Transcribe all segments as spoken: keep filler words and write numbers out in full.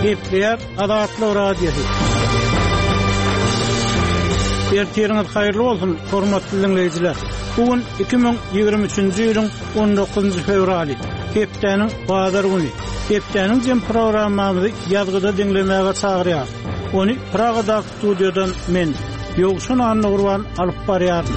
Gepleýär Azatlyk Radiosy. Ertiriňiz haýyrly bolsun, hormatly diňleýjiler. Bu gün iki müň ýigrimi üçünji ýylyň on dokuzynjy fewraly, hepdäniň bazar güni. Hepdäniň jem programmamyzy ýazgyda diňlemäge çagyrýar. Ony Pragadaky studiýadan men, Ýowşan Annagurban alyp barýaryn.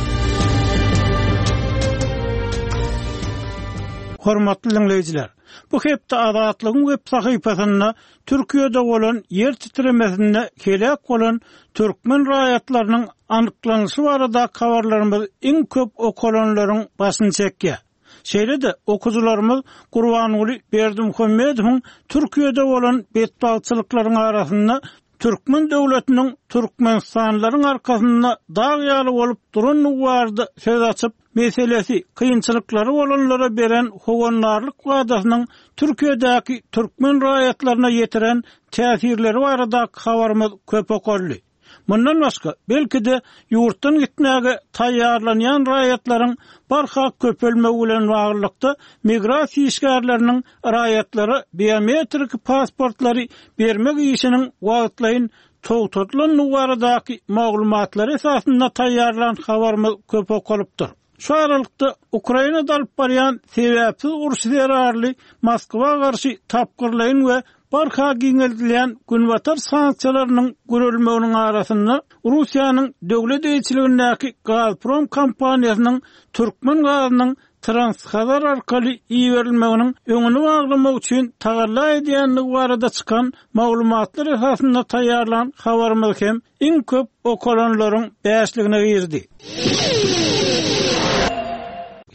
Hormatly diňleýjiler, bu hepde Azatlygyň web sahypasynda Türkiýede bolan ýer titremesinde heläk bolan türkmen raýatlarynyň anyklanyşy barada habarlarymyz iň köp okalanlaryň başyny çekýär. Şeýle-de okuwçylarymyz Gurbanguly Berdimuhamedowyň Türkiýede bolan betbagtçylyklaryň arasynda türkmen döwletiniň Türkmenistanlylaryň arkasynda dag ýaly bolup durandygy barada söz açyp, meselesi kynçylyklary bolanlara beren howandarlyk wadasynyň Türkiýedäki türkmen raýatlaryna ýetiren täsirleri barada habarymyz köp okaldy. Mundan başga, belki-de ýurtdan gitmäge taýýarlanýan raýatlaryň barha köpelmegi bilen baglylykda migrasiýa işgärleriniň raýatlara biometrik pasportlary bermek işiniň wagtlaýyn togtadylandygy baradaky maglumatlary esasynda taýýarlan habarymyz köp okalypdyr. Şu aralykda Ukrainada alyp barýan sebäpsiz uruş zerarly Moskwa garşy tapgyrlaýyn we barha giňeldilýän günbatar sanksiýalarynyň görülmeginiň arasynda Russiýanyň döwlet eýeçiligindäki Gazprom kompaniýasynyň türkmen gazynyň Transhazar arkaly iberilmeginiň öňüni baglamak üçin tagalla edýändigi barada çykan maglumatlar esasynda taýýarlan habarymyz hem iň köp okalanlaryň bäşligine girdi.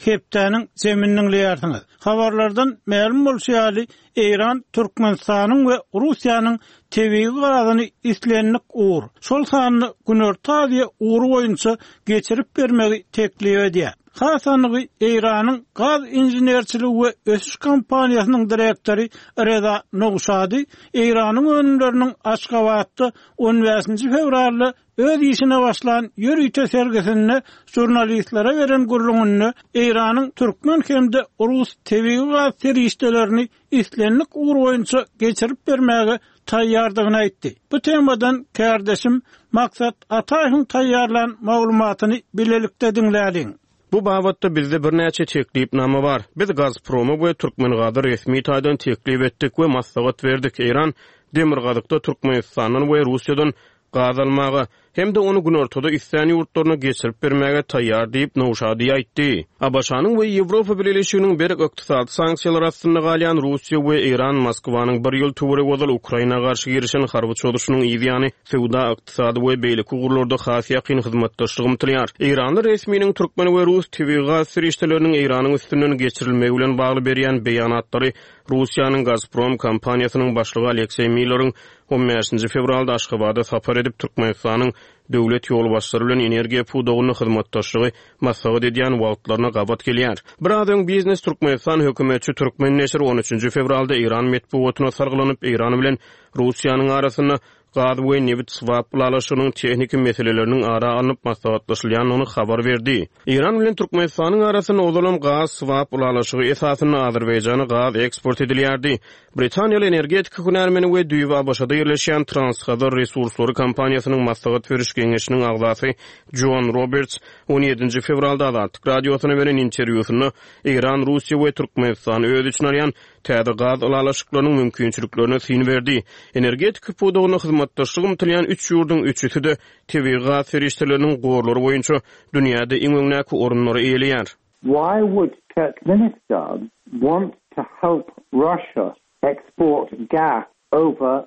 Hepdäniň zemini diňleýärsiňiz. Habarlardan mälim bolşy ýaly, Eýran Türkmenistanyň we Russiýanyň tebigy gazyny islendik ugur, şol sanda Günorta Aziýa ugry boýunça geçirip bermegi teklip edýär. Has anygy Eýranyň gaz inženerçiligi we ösüş kompaniýasynyň direktory Reza Nowşady Eýranyň önümleriniň Aşgabatda on bäşinji fewralda öz işine başlan ýörite sergisinde žurnalistlere beren gürrüňinde Eýranyň türkmen hem-de rus tebigy gaz serişdelerini islendik ugur boýunça geçirip bermäge taýýardygyny aýtdy. Bu temadan kärdeşim Maksat Ataýewiň taýýarlan maglumatyny bilelikde diňläliň. Bu babatda bizde birnäçe teklipnama bar. Biz Gazproma we Türkmengaza resmi taýdan teklip etdik we maslahat berdik. Eýran Demirgazykda Türkmenistandan we Russiýadan gaz almaga hem-de ony günortada islän ýurtlaryna geçirip bermäge taýýar diýip Nowşady aýtdy. ABŞ-nyň we Ýewropa Bileleşiginiň berk ykdysady sanksiýalar astynda galýan Russiýa we Eýran Moskwanyň bir ýyl töweregi ozal Ukraina garşy girişen harby çozuşynyň ýany söwda, ykdysady we beýleki ugurlarda has ýakyn hyzmatdaşlyk ymtylýar. Eýranly resminiň türkmen we rus tebigy gaz serişdeleriniň Eýranyň üstünden geçirilmegi bilen bagly berýän beýanatlary Russiýanyň Gazprom kompaniýasynyň başlygy Alekseý Milleriň on bäşinji fewralda Aşgabada sapar edip Türkmenistanyň döwlet ýolbaşçylary bilen energiýa pudagynda hyzmatdaşlygy maslahat edýän wagtlaryna gabat gelýär. Biraz öň Biznes Türkmenistan hökümetçi Türkmen neşiri on üçünji fewralda Eýran metbugatyna sargylanyp Eýran bilen Russiýanyň arasynda gaz we nebit swap ylalaşygynyň tehniki meseleleriniň ara alnyp maslahatlaşylýandygyny habar berdi. Eýran bilen Türkmenistanyň arasynda ozalam gaz swap ylalaşygy esasynda Azerbaýjana gaz eksport edilýärdi. Britaniýaly energetika hünärmeni we düýbi ABŞ-da ýerleşýän Transhazar Resurslary kompaniýasynyň maslahat beriş geňeşiniň agzasy John Roberts on ýedinji fewralda Azatlyk radiosyna beren interwýusynda Eýran, Russiýa we Türkmenistan öz içine alýan täze gaz ylalaşyklarynyň mümkinçiliklerine syn berdi. Energetika pudagynda hyzmatdaşlyk ymtylýan üç ýurduň üçüsi-de tebigy gaz serişdeleriniň gorlary boýunça dünýäde iň öňdäki orunlary eýeleýär. Why would Turkmenistan want to help Russia export gas over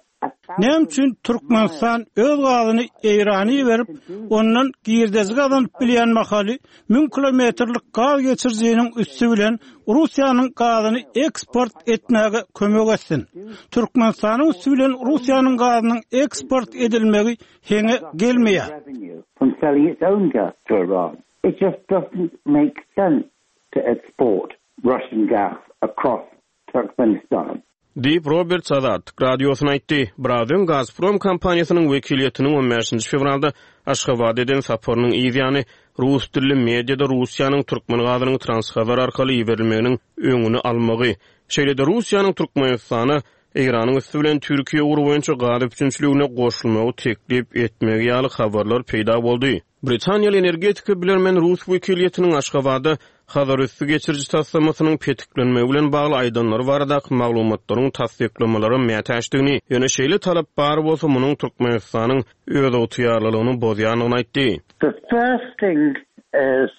Näme üçin Türkmenistan öz gazyny Eýrana berip, ondan girdezi gazanyp bilýän mahaly müň kilometrlik gaz geçirijiniň üsti bilen Russiýanyň gazyny eksport etmäge kömek etsin. Türkmenistanyň üsti bilen Russiýanyň gazynyň eksport edilmegi heňe gelmeýär. From selling its own gas to Iran. It just doesn't make sense to export Russian gas across Turkmenistan. Diýip Roberts Azatlyk radiosyna aýtdy. Biraz öň Gazprom kompaniýasynyň wekiliýetiniň on bäşinji fewralda Aşgabat eden saparynyň ýany rus dilli mediada Russiýanyň türkmen gazynyň Transhazar arkaly iberilmeginiň öňüni almagy, şeýle-de Russiýanyň Türkmenistana Eýranyň üsti bilen Türkiýe ugry boýunça gaz üpjünçiligine goşulmagy teklip etmegi ýaly habarlar peýda boldy. Britaniýaly energetika bilermen rus wekiliýetiniň Aşgabada Hazarüsti geçiriji taslamasynyň petiklenmegi bilen bagly aýdanlary baradaky maglumatlaryň tassyklamalara mätäçdigini, ýöne şeýle talap bar bolsa, munuň Türkmenistanyň özygtyýarlylygyny bozýandygyny aýtdy. The first thing is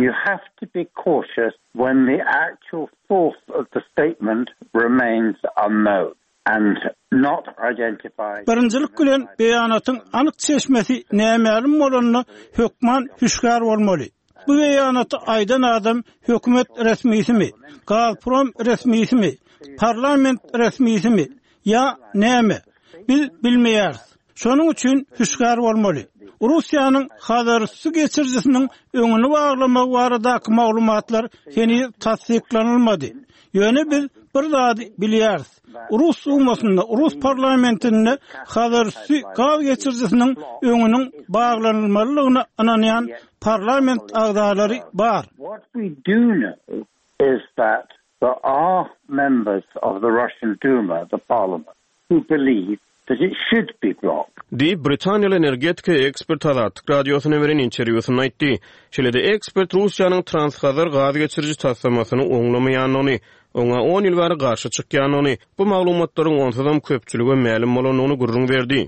you have to be cautious when the actual source of the statement remains unknown and not identified. Birinjilik bilen beýanatyň anyk çeşmesi nämälim bolanda hökman hüşgär bolmaly. Bu beýanaty aýdan adam hökümet resmisimi, Gazprom resmisimi, parlament resmisimi ýa näme? Biz bilmeýäris. Şonuň üçin hüşgär bolmaly. Russiýanyň Hazarüsti geçirijisiniň öňüni baglamagy baradaky maglumatlar heniz tassyklanylmady. Ýöne biz bir zady bilýäris. Rus Dumasynda, Rus parlamentinde Hazarüsti gaz geçirijisiniň öňüniň baglanylmalydygyna ynanýan parlament agzalary bar. What we do know is that there are members of the Russian Duma, the parliament, who believe that it should be blocked. Diýip, britaniýaly energetika ekspert Azatlyk Radiosyna beren interwýusynda aýtdy. Şeýle-de ekspert Russiýanyň Transhazar gaz geçiriji taslamasyny oňlamaýandygyny, oňa on ýyl bäri garşy çykýandygyny, bu maglumatlaryň onsuzam köpçülige mälim bolandygyny gürrüň berdi.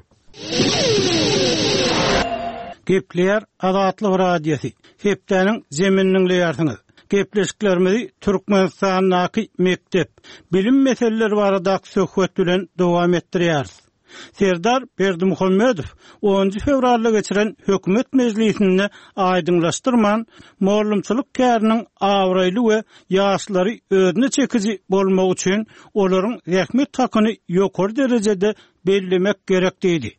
Gepleýär Azatlyk Radiosy. Hepdäniň zemini diňleýärsiňiz. Gepleşiklerimizi Türkmenistandaky mekdep, bilim meseleleri baradaky söhbet bilen dowam etdirýäris. Serdar Berdimuhamedow onunjy fewralda geçiren hökümet mejlisinde aýdyňlaşdyrman, mugallymçylyk käriniň abraýly we ýaşlary özüne çekiji bolmagy üçin olaryň zähmet hakyny ýokary derejede bellemek gerek diýdi.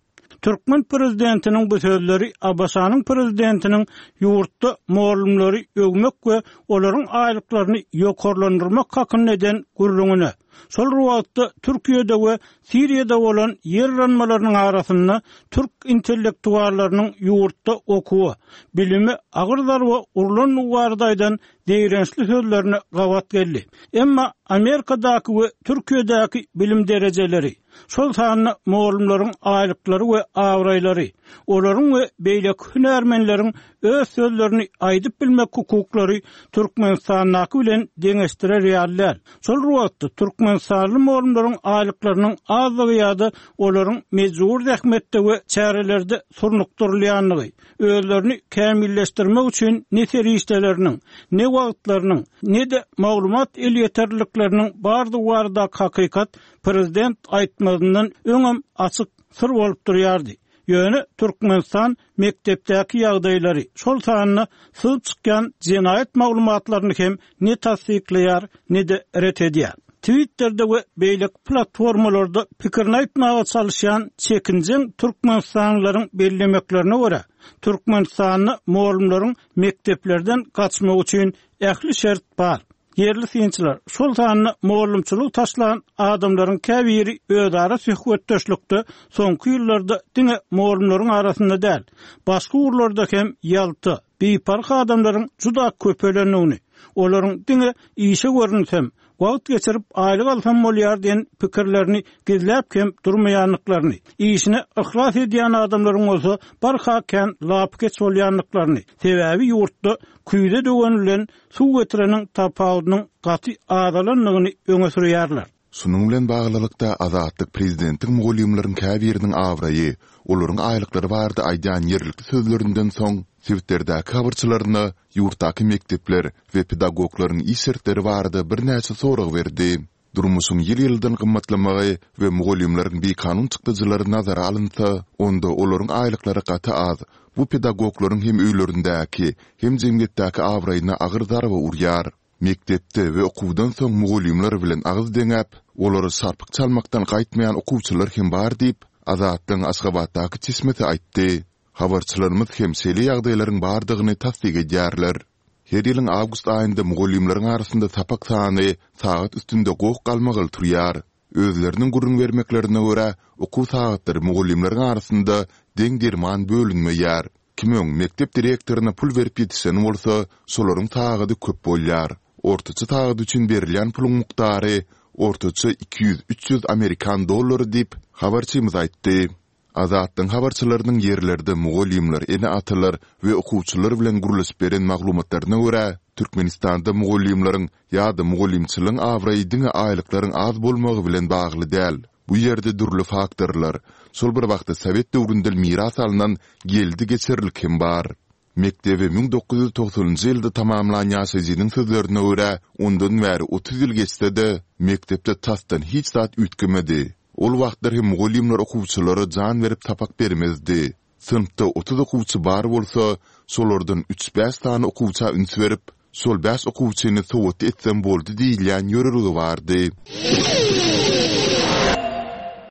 Türkmen prezidentiniň bu sözleri ABŞ-nyň prezidentiniň ýurtda mugallymlary öwmek we olaryň aýlyklaryny ýokarlandyrmak hakynda eden gürrüňine, şol bir wagtda Türkiýede we Siriýada bolan ýer yranmalarynyň arasynda türk intellektuallarynyň ýurtda okuwa, bilime agyr zarba urlandygy barada aýdan zeýrençli sözlerine gabat geldi. Emma Amerikadaky we Türkiýedäki bilim derejeleri, şol sanda mugallymlaryň aýlyklary we abraýlary, olaryň we beýleki hünärmenleriň öz sözlerini aýdyp bilmek hukuklary Türkmenistandaky bilen deňeşdirer ýaly däl. Şol bir wagtda Türkmenistanly mugallymlaryň aýlyklarynyň azlygy ýa-da olaryň mejbur zähmetde we çärelerde surnukdyrylýandygy, özlerini kämilleşdirmek üçin ne serişdeleriniň, ne wagtlarynyň, ne-de maglumat elýeterlilikleriniň bardygy baradaky hakykat prezident aýtmazyndan öňem açyk syr bolup durýardy. Ýöne Türkmenistan mekdepdäki ýagdaýlary, şol sanda syzyp çykýan jenaýat maglumatlaryny hem ne tassyklaýar, ne-de ret edýär. Twitter'de we beýleki platformalarda pikirini aýtmaga çalyşýan çekinjeň türkmenistanlylaryň bellemeklerine görä, Türkmenistanda mugallymlaryň mekdeplerden gaçmagy üçin ähli şert bar. Ýerli synçylar, şol sanda mugallymçylygy taşlan adamlaryň käbiri özara söhbetdeşlikde soňky ýyllarda diňe mugallymlaryň arasynda däl, başga ugurlarda hem ýalta, biparh adamlaryň juda köpelendigini, olaryň diňe işe görünsem, wagt geçirip aýlyk alsam bolýar diýen pikirlerini gizläp hem durmaýandyklaryny, işine yhlas edýän adamlaryň bolsa barha kän lapykeç bolýandyklaryny, sebäbi ýurtda küýze döwen bilen suw getireniň tapawudynyň gaty azalandygyny öňe sürýärler. Şunuň bilen baglylykda Azatlyk prezidentiň mugallymlaryň käbiriniň abraýy, olaryň aýlyklary barada aýdýan ýerlikli sözlerinden soň sebitlerdäki habarçylaryna ýurtdaky mekdepler we pedagoglaryň iş şertleri barada birnäçe sorag berdi. Durmuşyň ýyl-ýyldan gymmatlamagy we mugallymlaryň bikanun çykdajylary nazara alynsa, onda olaryň aýlyklary gaty az. Bu pedagoglaryň hem öýlerindäki, hem jemgyýetdäki abraýyna agyr zarba urýar. Mekdepde we okuwdan soň mugallymlar bilen agyz deňäp, olary şarpyk çalmakdan gaýtmaýan okuwçylar hem bar diýip, Azatlygyň Aşgabatdaky çeşmesi aýtdy. Habarçylarymyz hem şeýle ýagdaýlaryň bardygyny tassyk edýärler. Her ýylyň awgust aýynda mugallymlaryň arasynda sapak sany sagat üstünde goh galmagal turýar. Özleriniň gürrüň bermeklerine görä, okuw sagatlary mugallymlaryň arasynda deň derman bölünmeýär. Kim öň mekdep direktoryna pul berip ýetişen bolsa, şolaryň sagady köp bolýar. Ortaça sagat üçin berilýän puluň mukdary ortaça iki ýüz-üç ýüz amerikan dollary diýip, habarçymyz aýtdy. Azatlygyň habarçylarynyň ýerlerde mugallymlar, ene-atalar we okuwçylar bilen gürleşip beren maglumatlaryna görä, Türkmenistanda mugallymlaryň ýa-da mugallymçylygyň abraýy diňe aýlyklaryň az bolmagy bilen bagly däl. Bu ýerde dürli faktorlar, şol bir wagtda sowet döwründen miras alnan geldi-geçerlik hem bar. Mekdebi müň dokuz ýüz togsanynjy ýylda tamamlan ýaşaýjynyň sözlerine görä, ondan bäri otuz ýyl geçse-de, mekdepde tasdan hiç zat üýtgemedi. Ol wagtlar hem mugallymlar okuwçylara jan berip sapak bermezdi. Synpda otuz okuwçy bar bolsa, şolardan üç-bäş sany okuwça üns berip, şol bäş okuwçyny sowatly etsem boldy diýilýän ýörelge bardy.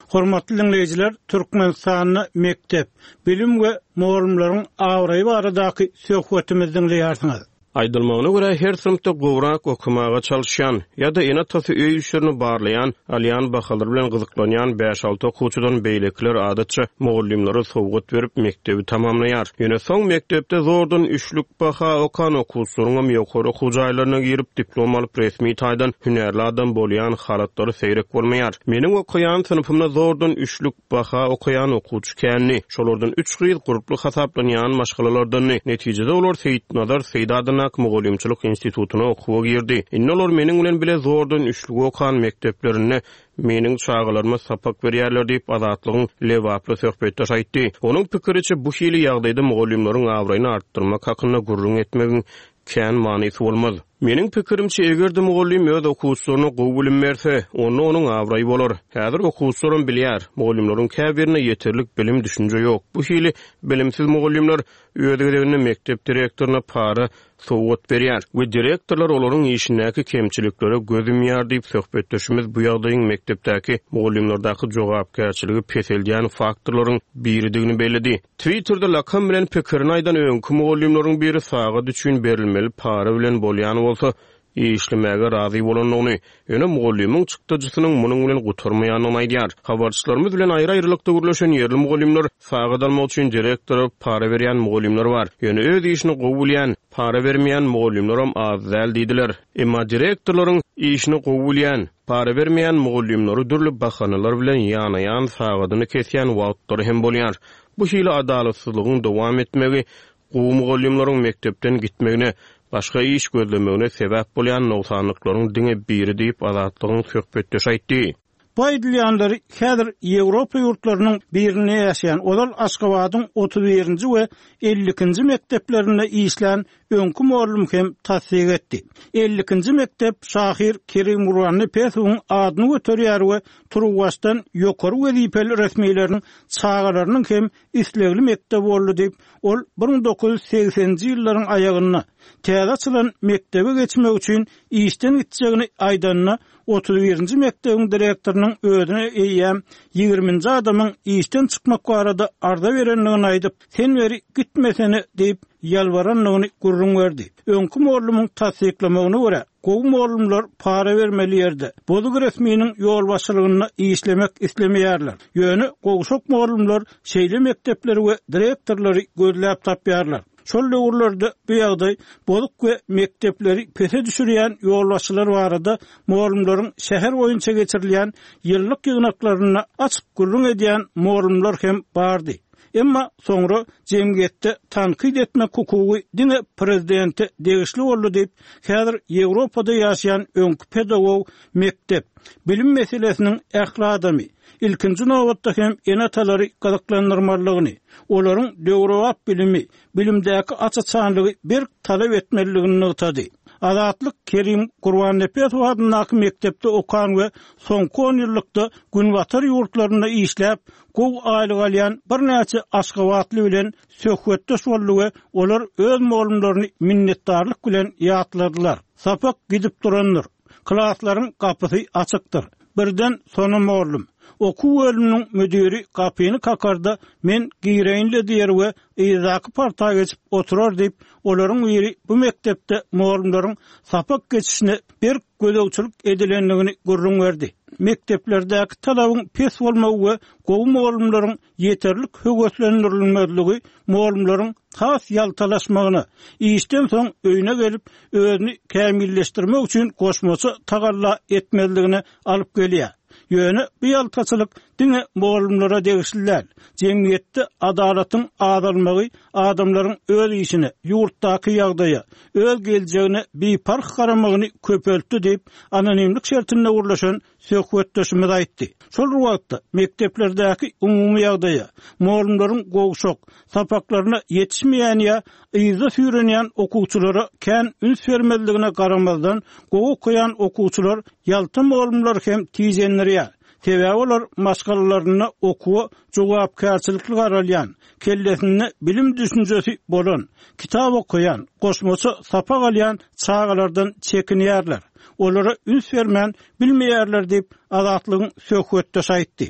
Hormatly diňleýjiler, Türkmenistanda mekdep, bilim we mugallymlaryň abraýy baradaky söhbetimizi diňleýärsiňiz. Aýdylmagyna görä, her synpda gowrak okamaga çalyşýan ýa-da ene-atasy öý işlerini barlaýan, alýan bahalary bilen gyzyklanýan bäş-alty okuwçydan beýlekiler adatça mugallymlara sowgat berip mekdebi tamamlaýar. Ýöne soň mekdepde zordan üçlük baha okan okuwçylaryňam ýokary okuw jaýlaryna girip diplom alyp resmi taýdan hünärli adam bolýan halatlary seýrek bolmaýar. Meniň okaýan synpymda zordan üçlük baha okaýan okuwçy kändi. Şolardan üç gyz gurply hasaplanýan maşgalalardandy. Netijede olar Seýitnazar Seýit adyndaky mugallymçylyk institutyna okuwa girdi. Indi olar meniň bilen bile zordan üçlük okan mekdeplerinde meniň çagalaryma sapak berýärler diýip Azatlygyň Lebaply söhbetdeş aýtdy. Onuň pikiriçe bu hili ýagdaýda mugallymlaryň abraýyny artdyrmak hakynda gürrüň etmegiň kän manysy bolmaz. Meniň pikirimçe eger-de mugallym öz okuwçylaryna gowy bilim berse, onda onuň abraýy bolar. Häzir okuwçylarym bilýär, mugallymlaryň käbirine ýeterlik bilim düşünje ýok. Bu hili bilimsiz mugallymlar öz gezeginde mekdep direktoryna para sowgat berýär we direktorlar olaryň işindäki kemçiliklere göz ýumýar diýip söhbetdeşimiz bu ýagdaýyň mekdepdäki mugallymlardaky jogapkärçiligi peseldýän faktorlaryň biridigini belledi. Twitterde lakam bilen pikirini aýdan öňki mugallymlaryň biri sagat üçin berilmeli para bilen bolýan bolsa işlemäge razy bolandygyny, ýöne mugallymyň çykdajysynyň munuň bilen gutarmaýandygyny aýdýar. Habarçylarymyz bilen aýry-aýrylykda gürleşen ýerli mugallymlar sagat almak üçin direktora para berýän mugallymlar bar. Ýöne öz işini gowy bilýän, para bermeýän mugallymlaram az däl diýdiler. Emma direktorlaryň işini gowy bilýän, para bermeýän mugallymlary dürli bahanalar bilen ýanaýan sagadyny kesýän wagtlary hem bolýar. Bu hili adalatsyzlygyň dowam etmegi gowy mugallymlaryň mekdepden gitmegine, başga iş gözlemegine sebäp bolýan nogsanlyklaryň diňe biri diýip Azatlygyň söhbetdeşi aýtdy. Bu aýdylýanlary häzir Ýewropa ýurtlarynyň birinde ýaşaýan ozal Aşgabadyň otuz birinji we elli ikinji mekdeplerinde işlän öňki mugallym hem tassyk etdi. Elli ikinji mekdep şahyr Kerim Gurbannepesowyň adyny göterýär we Turuwbaşdan ýokary wezipeli resmileriniň çagalarynyň hem islegli mekdep boldy diýip, ol bir müň dokuz ýüz segseninji ýyllaryň aýagynda täze açylan mekdebe geçmek üçin işden gitjegini aýdanda otuz birinji mekdebiň direktorynyň özüne eýýäm ýigriminji adamyň işden çykmak barada arza berendigini aýdyp, sen beri gitmesene diýip ýalbarandygyny gürrüň berdi. Öňki mugallymyň tassyklamagyna görä, gowy mugallymlar para bermeli ýerde, bozuk resminiň ýolbaşçylygynda işlemek islemeýärler. Ýöne gowşak mugallymlar şeýle mekdepleri we direktorlary gözläp tapýarlar. Şol döwürlerde bu ýagdaý bozuk we mekdepleri pese düşürýän ýolbaşçylar barada mugallymlaryň şäher boýunça geçirilýän ýyllyk ýygnaklarynda açyk gürrüň edýän mugallymlar hem bardy. Emma soňra jemgyýetde tankyt etmek hukugy diňe prezidente degişli boldy diýip, häzir Ýewropada ýaşaýan öňki pedagog mekdep bilim meselesiniň ähli adamy ilkinji nobatda hem ene-atalary gyzyklandyrmalydygyny, olaryň döwrebap bilimi, bilimdäki aç-açanlygy berk talap etmelidigini nygtady. Azatlyk Kerim Gurbannepesow adyndaky mekdepde okan we soňky on ýyllykda Günbatar ýurtlarynda işläp, gowy aýlyk alýan birnäçe Aşgabatly bilen söhbetdeş boldy we olar öz mugallymlaryny minnetdarlyk bilen ýatladylar. Sapak gidip durandyr. Klaslaryň gapysy açykdyr. Birden sona mugallym. Okuw bölüminiň müdiri gapyny kakarda, men gireýin-le diýer we yzdaky parta geçip oturar diýip, olaryň biri bu mekdepde mugallymlaryň sapak geçişine berk gözegçilik edilendigini gürrüň berdi. Mekdeplerdäki talabyň pes bolmagy we gowy mugallymlaryň ýeterlik höweslendirilmezligi mugallymlaryň has ýaltalaşmagyna, işden soň öýüne gelip, özüni kämilleşdirmek üçin goşmaça tagalla etmezligine alyp gelýär. Ýöne bu ýaltaçylyk diňe mugallymlara degişli däl. Jemgyýetde adalatyň azalmagy adamlaryň öz işine, ýurtdaky ýagdaýa, öz geljegine biparh garamagyny köpeltdi diýip, anonimlik şertinde gürleşen söhbetdeşimiz aýtdy. Şol bir wagtda, mekdeplerdäki umumy ýagdaýa, mugallymlaryň gowşak, sapaklaryna ýetişmeýän ýa yzda süýrenýän okuwçylara kän üns bermezligine garamazdan, gowy okaýan okuwçylar ýalta mugallymlary hem tijendirýär. Sebäbi olar maşgalalarynda okuwa jogapkärçilikli garalýan, kellesinde bilim düşünjesi bolan, kitap okaýan, goşmaça sapak alýan çagalardan çekinýärler. Olara üns bermän bilmeýärler diýip, Azatlygyň söhbetdeşi aýtdy.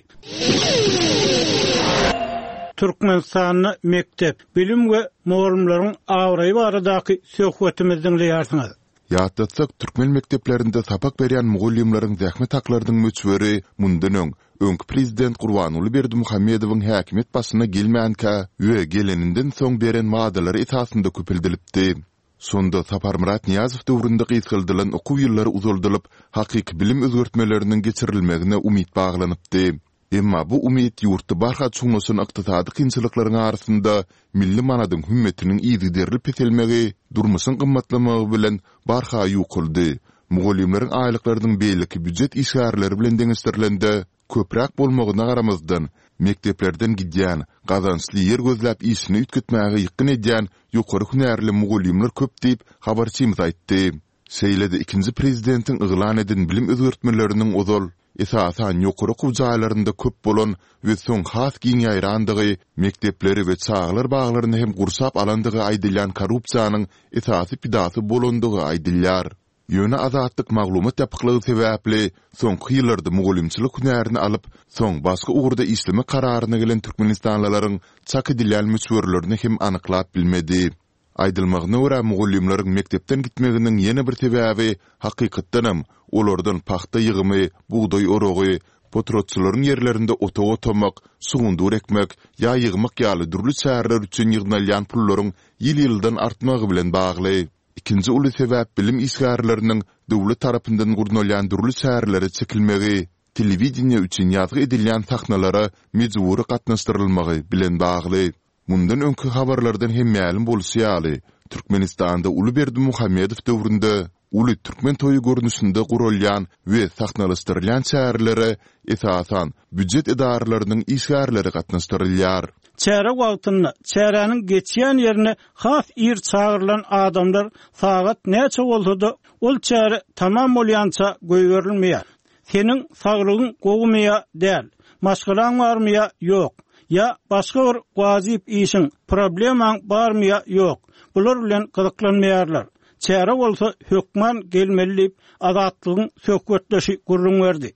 Türkmenistanda mekdep, bilim we mugallymlaryň abraýy baradaky söhbetimizi diňleýärsiňiz. Ýatlatsak, türkmen mekdeplerinde sapak berýän mugallymlaryň zähmet haklarynyň möçberi mundan öň, öňki prezident Gurbanguly Berdimuhamedowyň häkimiýet başyna gelmänkä we geleninden soň beren wadalary esasynda köpeldilipdi. Şonda Saparmyrat Nyýazow döwründe gysgaldylan okuw ýyllary uzaldylyp, hakyky bilim özgertmeleriniň geçirilmegine umyt baglanypdy. Emma bu umyt ýurtda barha çuňlaşan ykdysady kynçylyklaryň arasynda milli manadyň hümmetiniň yzygiderli peselmegi, durmuşyň gymmatlamagy bilen barha ýukaldy. Mugallymlaryň aýlyklarynyň beýleki býujet işgärleri bilen deňeşdirilende köpräk bolmagyna garamazdan, mekdeplerden gidýän, gazançly ýer gözläp işini üýtgetmäge ýykgyn edýän ýokary hünärli mugallymlar köp diýip, habarçymyz aýtdy. Şeýle-de ikinji prezidentiň yglan eden bilim özgertmeleriniň ozal, esasan, ýokary okuw jaýlarynda köp bolan we soň has giň ýaýrandygy, mekdepleri we çagalar baglaryny hem gurşap alandygy aýdylýan korrupsiýanyň esasy pidasy bolandygy aýdylýar. Ýöne Azatlyk maglumat ýapyklygy sebäpli, soňky ýyllarda mugallymçylyk hünärini alyp, soň başga ugurda işlemek kararyna gelen türkmenistanlylaryň çak edilýän möçberlerini hem anyklap bilmedi. Aýdylmagyna görä, mugallymlaryň mekdepden gitmeginiň ýene bir sebäbi, hakykatdanam, olardan pagta ýygymy, bugdaý oragy, potratçylaryň ýerlerinde otag otamak, şugundyr ekmek ýa ýygmak ýaly dürli çäreler üçin ýygnalýan pullaryň ýyl-ýyldan artmagy bilen bagly. Ikinji uly sebäp bilim işgärleriniň döwlet tarapyndan gurnalýan dürli çärelere çekilmegi, telewideniýe üçin ýazgy edilýän sahnalara mejbury gatnaşdyrylmagy bilen bagly. Mundan öňki habarlardan hem mälim bolşy ýaly, Türkmenistanda uly Berdimuhamedow döwründe uly türkmen toýy görnüşinde guralýan we sahnalaşdyrylýan çärelere, esasan, býujet edaralarynyň işgärleri gatnaşdyrylýar. Çäre wagtynda, çäräniň geçýän ýerine has ir çagyrylan adamlar sagat näçe bolsa-da, ol çäre tamam bolýança goýberilmeýär. Seniň saglygyň gowumy ýa däl, maşgalaň barmy ýa ýok, ýa başga bir wajyp işiň, problemaň barmy ýa ýok, bular bilen gyzyklanmaýarlar. Çärä bolsa hökman gelmeli diýip, Azatlygyň söhbetdeşi gürrüň berdi.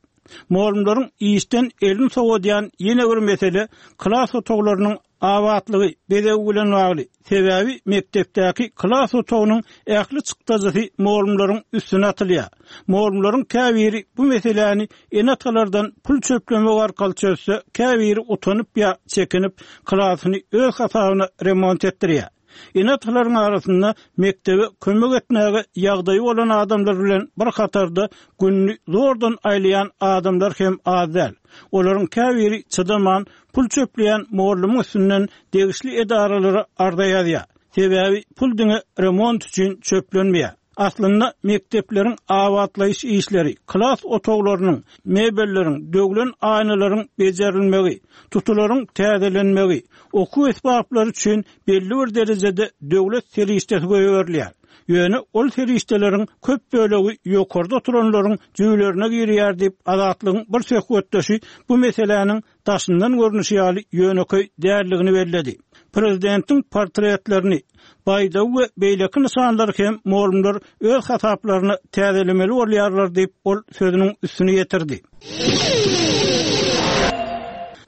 Mugallymlaryň işden elini sowadýan ýene bir mesele klas otaglarynyň Abatlygy, bezegi bilen bagly. Sebäbi mekdepdäki klas otagynyň ähli çykdajysy mugallymlaryň üstüne atylýar. Mugallymlaryň käbiri bu meseläni ene-atalardan pul çöplemek arkaly çözse, käbiri utanyp ýa çekinip, klasyny öz hasabyna remont etdirýär. Ene-atalaryň arasynda mekdebe kömek etmäge ýagdaýy bolan adamlar bilen bir hatarda gününi zordan aýlaýan adamlar hem az däl. Olaryň käbiri çydaman, pul çöpleýän mugallymyň üstünden degişli edaralara arza ýazýar. Sebäbi pul diňe remont üçin çöplenmeýär. Aslynda mekdepleriň abatlaýyş işleri, klas otaglarynyň, mebelleriň, döwlen aýnalaryň bejerilmegi, tutularyň täzelenmegi, okuw esbaplary üçin belli bir derejede döwlet serişdesi goýberilýär. Ýöne ol serişdeleriň köp bölegi ýokarda oturanlaryň jübülerine girýär diýip, Azatlygyň bir söhbetdeşi bu meseläniň daşyndan görnüşi ýaly ýönekeý däldigini belledi. Prezidentiň portretlerini, baýdagy we beýleki nyşanlary hem mugallymlar öz hasaplaryna täzelemeli bolýarlar diýip, ol sözüniň üstüni ýetirdi.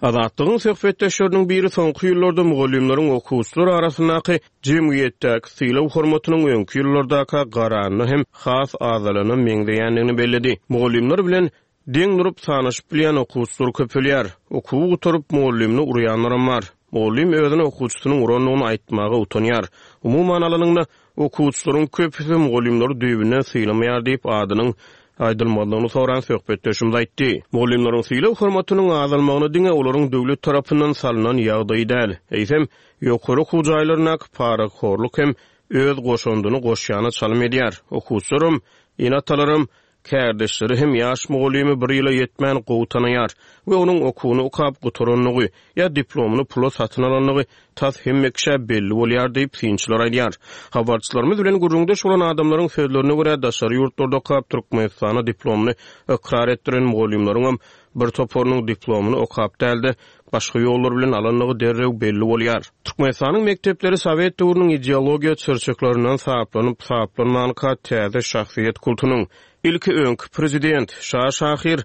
Azatlygyň söhbetdeşleriniň biri soňky ýyllarda mugallymlaryň okuwçylar arasyndaky jemgyýetdäki sylag-hormatynyň öňki ýyllardaka garanda hem has azalana meňzeýändigini belledi. Mugallymlar bilen deň durup sanaşyp bilýän okuwçylar köpelýär. Okuwy gutaryp mugallymyny urýanlaram bar. Mugallym özüne okuwçysynyň urandygyny aýtmaga utanýar. Umuman alanyňda okuwçylaryň köpüsi mugallymlary düýbünden sylamaýar diýip adynyň aýdylmazlygyny soran söhbetdeşimiz aýtdy. Mugallymlaryň sylag-hormatynyň azalmagyna diňe olaryň döwlet tarapyndan salynan ýagdaýy däl, eýsem ýokary okuw jaýlaryndaky parahorluk hem öz goşandyny goşýana çalym edýär. Okuwçylarym, ene-atalaram, kärdeşleri hem ýaş mugallymy bir ýyla ýetmän gowy tanaýar we onuň okuwyny okap gutarandygy ýa diplomyny pula satyn alandygy tas hemme kişä belli bolýar diýip synçylar aýdýar. Habarçylarymyz bilen gürrüňdeş bolan adamlaryň sözlerine görä daşary ýurtlarda okap Türkmenistana diplomyny ykrar etdiren mugallymlaryň bir toparynyň diplomyny okap dälde başga ýollar bilen alandygy derrew belli bolýar. Türkmenistanyň mekdepleri Sowet döwrüniň ideologiýa çyrçyklaryndan saplanyp saplanmanka täze şahsyýet kultunyň ilki öňki prezident Şa Şahir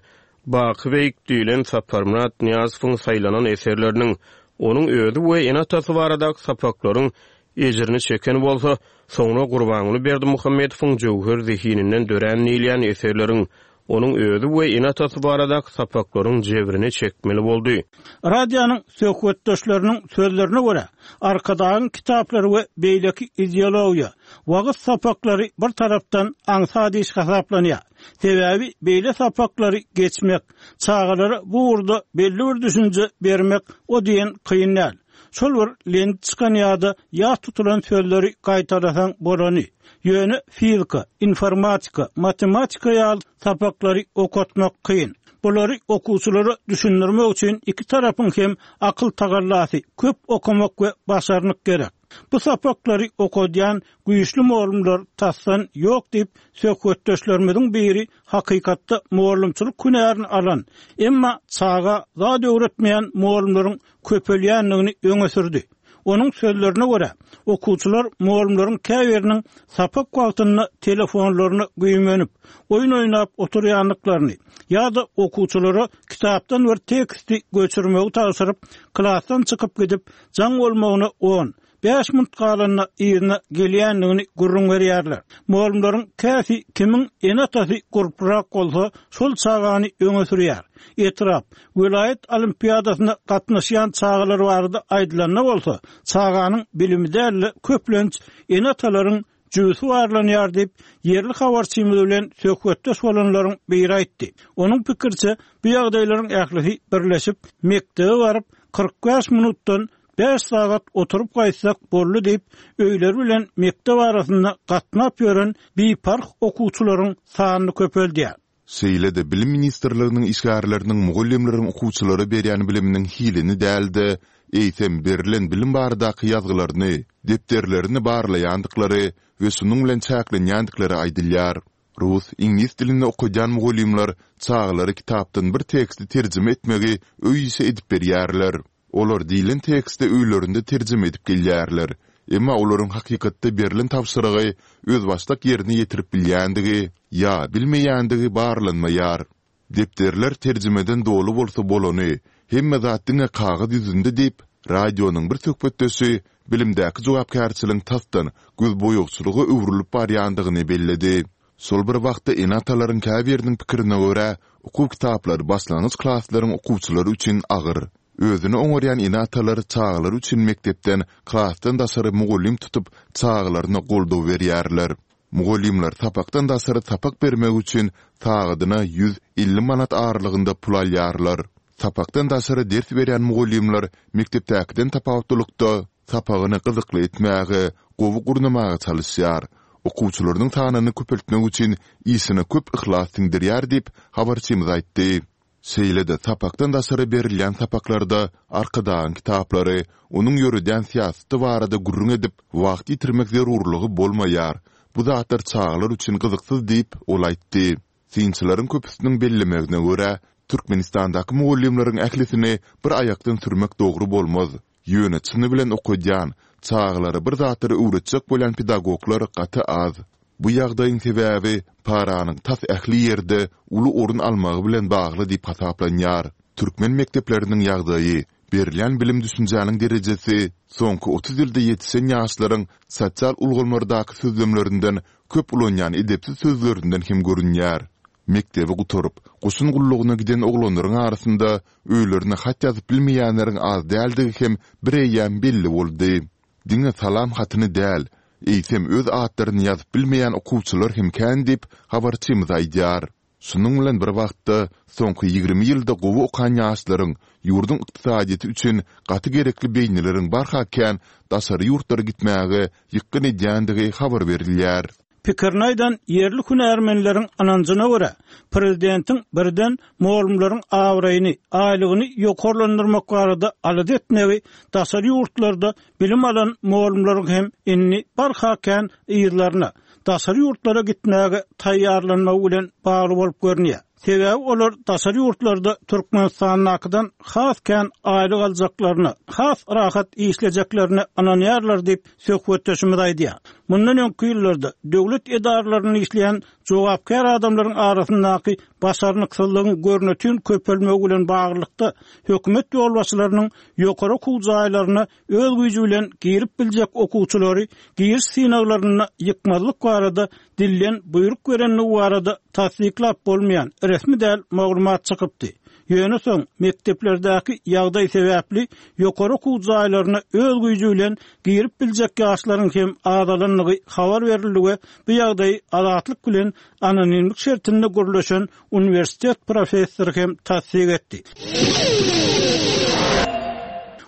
Baky Beýik diýlen Saparmyrat Nyýazowyň saýlanan eserleriniň onuň özi we ene-atasy baradaky sapaklaryň ejirini çeken bolsa, soňra Gurbanguly Berdimuhamedowyň jöwher zehininden dörän diýilýän eserleriň onuň özi we ene-atasy baradaky sapaklaryň jebrini çekmeli boldy. Radionyň söhbetdeşleriniň sözlerine görä, Arkadagyň kitaplary we beýleki ideologiýa, wagt sapaklary bir tarapdan aňsat iş hasaplanýar. Sebäbi beýle sapaklary geçmek, çagalara bu ugurda belli bir düşünje bermek o diýen kyn däl. Şol bir lent çykan ýa-da ýa tutulan sözleri gaýtalasaň bolany. Ýöne fizika, informatika, matematika ýaly sapaklary okatmak kyn. Bulary okuwçylara düşündirmek üçin iki tarapyň hem akyl tagallasy, köp okumak we başarnyk gerek. Bu sapaklary okadýan güýçli mugallymlar tasdan ýok diýip söhbetdeşlerimiziň biri hakykatda mugallymçylyk hünärini alan, emma çaga zat öwretmeýän mugallymlaryň köpelýändigini öňe sürdi. Onuň sözlerine görä, okuwçylar mugallymlaryň käbiriniň sapak wagtynda telefonlaryny güýmenip, oýun oýnap oturýandyklaryny ýa-da okuwçylara kitapdan bir teksti göçürmegi tabşyryp, klasdan çykyp gidip, jaň bolmagyna on, bäş minut galanda ýerine gelýändigini gürrüň berýärler. Mugallymlaryň käsi kimiň ene-atasy gurprak bolsa, şol çagany öňe sürýär. Etrap, welaýat olimpiadasyna gatnaşýan çagalar barada aýdylanda bolsa, çaganyň bilimi däl-de köplenç ene-atalaryň jübüsi barlanýar diýip, ýerli habarçymyz bilen söhbetdeş bolanlaryň biri aýtdy. Onuň pikirçe, bu ýagdaýlaryň ählisi birleşip, mekdebe baryp kyrk bäş minutdan bäş sagat oturyp gaýtsak boldy diýip, öýleri bilen mekdep arasynda gatnap ýören biparh okuwçylaryň sanyny köpeldýär. Şeýle-de Bilim ministrliginiň işgärleriniň mugallymlaryň okuwçylara berýän biliminiň hilini däl-de, eýsem berilen bilim baradaky ýazgylaryny, depderlerini barlaýandyklary we şunuň bilen çäklenýändikleri aýdylýar. Rus, iňlis dilinde okadýan mugallymlar çagalara kitapdan bir teksti terjime etmegi öý işi edip berýärler. Olar diýlen teksti öýlerinde terjime edip gelýärler. Emma olaryň hakykatda berilen tabşyrygy özbaşdak ýerine ýetirip bilýändigi ýa bilmeýändigi barlanmaýar. Depderler terjimeden doly bolsa bolany, hemme zat diňe kagyz ýüzünde diýip, radionyň bir söhbetdeşi bilimdäki jogapkärçiligiň tasdan gözboýagçylyga öwrülip barýandygyny belledi. Şol bir wagtda ene-atalaryň käbiriniň pikirine görä, okuw kitaplary başlangyç klaslaryň okuwçylary üçin agyr. Özüni oňarýan ene-atalar çagalary üçin mekdepden, klasdan daşary mugallym tutup, çagalaryna goldaw berýärler. Mugallymlar sapakdan daşary sapak bermek üçin sagadyna ýüz elli manat aralygynda pul alýarlar. Sapakdan daşary ders berýän mugallymlar mekdepdäkiden tapawutlylykda sapagyny gyzykly etmäge, gowy gurnamaga çalyşýar. Okuwçylarynyň sanyny köpeltmek üçin işine köp yhlas siňdirýär diýip, habarçymyz aýtdy. Şeýle-de sapakdan daşary berilýän sapaklarda Arkadagyň kitaplary, onuň ýöredýän syýasaty barada gürrüň edip, wagt ýitirmek zerurlygy bolmaýar. Bu zatlar çagalar üçin gyzyksyz diýip, ol aýtdy. Synçylaryň köpüsiniň bellemegine görä, Türkmenistandaky mugallymlaryň ählisini bir aýakdan sürmek dogry bolmaz. Ýöne çyny bilen okadýan, çagalara bir zatlary öwretjek bolýan pedagoglar gaty az. Bu ýagdaýyň sebäbi paranyň tas ähli ýerde uly orun almagy bilen bagly diýip hasaplanýar. Türkmen mekdepleriniň ýagdaýy, berilýän bilim-düşünjäniň derejesi soňky otuz ýylda ýetişen ýaşlaryň sosial ulgamlardaky sözlemlerinden köp ulanýan edepsiz sözlerinden hem görünýär. Mekdebi gutaryp, goşun gullugyna giden oglanlaryň arasynda öýlerine hat ýazyp bilmeýänleriň az däldigi hem bireýýäm belli boldy. Diňe salam hatyny däl, eýsem öz atlaryny ýazyp bilmeýän okuwçylar hem kän diýip, habarçymyz aýdýar. Şunuň bilen bir wagtda, soňky ýigrimi ýylda gowy okan ýaşlaryň, ýurduň ykdysadyýeti üçin gaty gerekli beýnileriň barha kän daşary ýurtlara gitmäge ýykgyn edýändigi habar berilýär. Pikirini aýdan ýerli hünärmenleriň ynanjyna görä, prezidentiň birden mugallymlaryň abraýyny, aýlygyny ýokarlandyrmak barada alada etmegi daşary ýurtlarda bilim alan mugallymlaryň hem indi barha kän yzlaryna, daşary ýurtlara gitmäge taýýarlanmagy bilen bagly bolup görünýär. Sebäbi olar daşary ýurtlarda Türkmenistandakydan has kän aýlyk aljaklaryna, has rahat işlejeklerine ynanýarlar diýip, söhbetdeşimiz aýdýar. Mundan öňki ýyllarda döwlet edaralarynda işleýän jogapkär adamlaryň arasyndaky başarnyksyzlygyň görnetin köpelmegi bilen baglylykda hökümet ýolbaşçylarynyň ýokary okuw jaýlaryna öz güýji bilen girip biljek okuwçylary giriş synaglarynda ýykmazlyk barada dilden buýruk berendigi barada tassyklap bolmaýan resmi däl maglumat çykypdy. Ýöne soň mekdeplerdäki ýagdaý sebäpli ýokary okuw jaýlaryna öz güýji bilen girip biljek ýaşlaryň hem azalandygy habar berildi we bu ýagdaýy Azatlyk bilen anonimlik şertinde gürleşen uniwersitet professory hem tassyk etdi.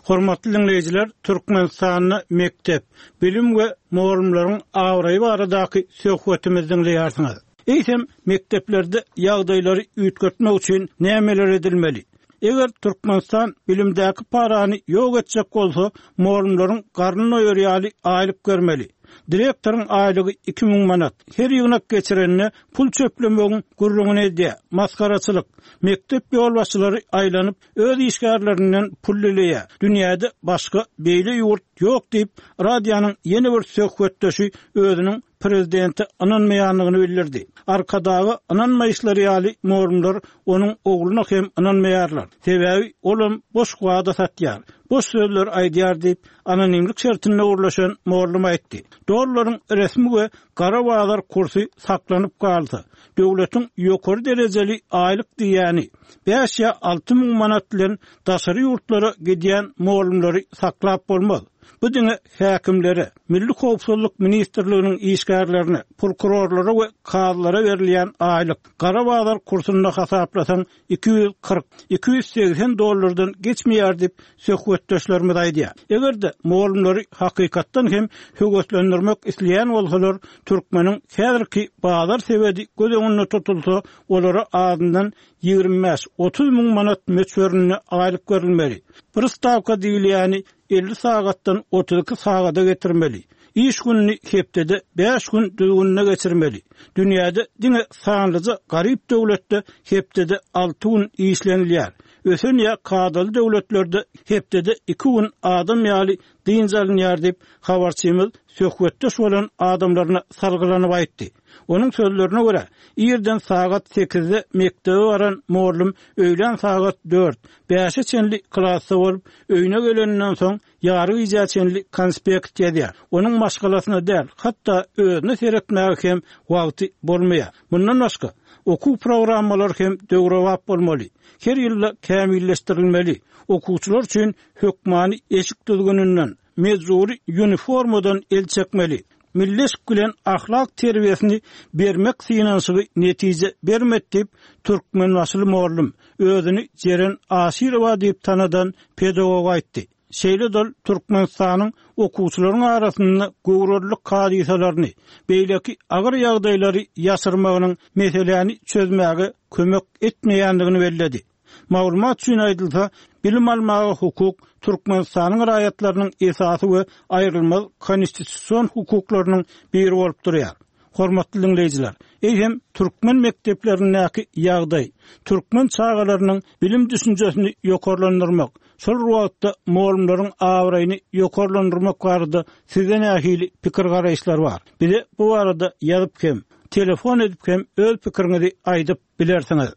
Hormatly diňleýjiler, Türkmenistanda mekdep, bilim we mugallymlaryň abraýy baradaky söhbetimizi diňleýärsiňiz. Eýsem, mekdeplerde ýagdaýlary üýtgetmek üçin nämeler edilmeli? Eger Türkmenistan bilimdäki parany ýok etjek bolsa, mugallymlaryň garnyny doýur ýaly aýlyk bermeli. Direktoryň aýlygy iki müň manat. Her ýygnak geçirende pul çöplemegiň gürrüňini edýär. Masgaraçylyk. Mekdep ýolbaşçylary aýlanyp, öz işgärlerinden pul dileýär. Dünýäde başga beýle ýurt ýok diýip, radionyň ýene bir söhbetdeşi özüniň prezidente ynanmaýandygyny bildirdi. Arkadaga ynanmaýyşlary ýaly mugallymlar onuň ogluna hem ynanmaýarlar. Sebäbi olam boş wada satýar, boş sözler aýdýar diýip, anonimlik şertinde gürleşen mugallym aýtdy. Dollaryň resmi we gara bazar kursy saklanyp galsa, döwletiň ýokary derejeli aýlyk diýýäni bäş ýa alty müň manat bilen daşary ýurtlara gidýän mugallymlary saklap bolmaz. Bu diňe häkimlere, Milli howpsuzlyk ministrliginiň işgärlerine, prokurorlara we kazylara berilýän aýlyk gara bazar kursunda hasaplasaň iki ýüz kyrk, iki ýüz segsen dollardan geçmeýär diýip söhbetdeşlerimiz aýdýar. Eger-de mugallymlary hakykatdan hem höweslendirmek isleýän bolsalar, türkmeniň häzirki bazar sebedi göz öňünde tutulsa, olara azyndan ýigrimi bäş, otuz müň manat möçberinde aýlyk berilmeli. Bir stawka diýilýäni elli sagatdan otuz iki sagada getirmeli. Iş gününi hepdede bäş gün düzgünine geçirmeli. Dünýäde diňe sanlyja garyp döwletde hepdede alty gün işlenilýär. Ösen ýa kadaly döwletlerde hepdede iki gün adam ýaly dynç alynýar diýip, habarçymyz söhbetdeş bolan adamlaryna salgylanyp aýtdy. Onuň sözlerine görä, irden sagat sekizde mekdebe baran mugallym öýlän sagat dört, bäşe çenli klasda bolup, öýüne geleninden soň ýary gijä çenli konspekt ýazýar. Onuň maşgalasyna däl, hatda özüne seretmäge hem wagty bolmaýar. Mundan başga, okuw programmalary hem döwrebap bolmaly. Her ýylda kämilleşdirilmeli. Okuwçylar üçin hökmany eşik düzgüninden, mejbury uniformadan el çekmeli. Milli eşik bilen ahlak terbiýesini bermek synanyşygy netije bermedi diýip, türkmenbaşyly mugallym özüni Jeren Aşyrowa diýip tanadan pedagog aýtdy. Şeýle dol Türkmenistanyň okuwçylaryň arasynda göwrelilik hadysalaryny, beýleki agyr ýagdaýlary ýaşyrmagynyň meseläni çözmäge kömek etmeýändigini belledi. Maglumat üçin aýdylsa, bilim almaga hukuk Türkmenistanyň raýatlarynyň esasy we aýrylmaz konstitusion hukuklarynyň biri bolup durýar. Hormatly diňleýjiler, eýsem türkmen mekdeplerindäki ýagdaý, türkmen çagalarynyň bilim düşünjesini ýokarlandyrmak, şol wagtda mugallymlaryň abraýyny ýokarlandyrmak barada sizde nähili pikir garaýyşlar bar? Bize bu barada ýazyp hem, telefon edip hem öz pikiriňizi aýdyp bilersiňiz.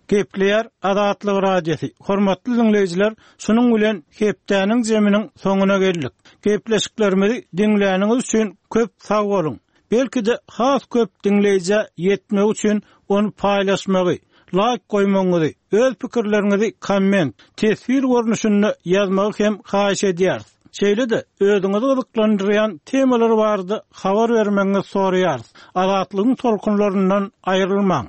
Gepleýär Azatlyk Radiosy. Hormatly diňleýjiler, şunuň bilen hepdäniň zeminiň soňuna geldik. Gepleşiklerimizi diňläniňiz üçin köp sag boluň. Belki-de has köp diňleýjä ýetmek üçin ony paýlaşmagy, laýk goýmagyňyzy, öz pikirleriňizi komment, teswir görnüşinde ýazmagy hem haýyş edýäris. Şeýle-de özüňizi gyzyklandyrýan temalar barada habar bermegiňizi soraýarys. Azatlygyň tolkunlaryndan aýrylmaň.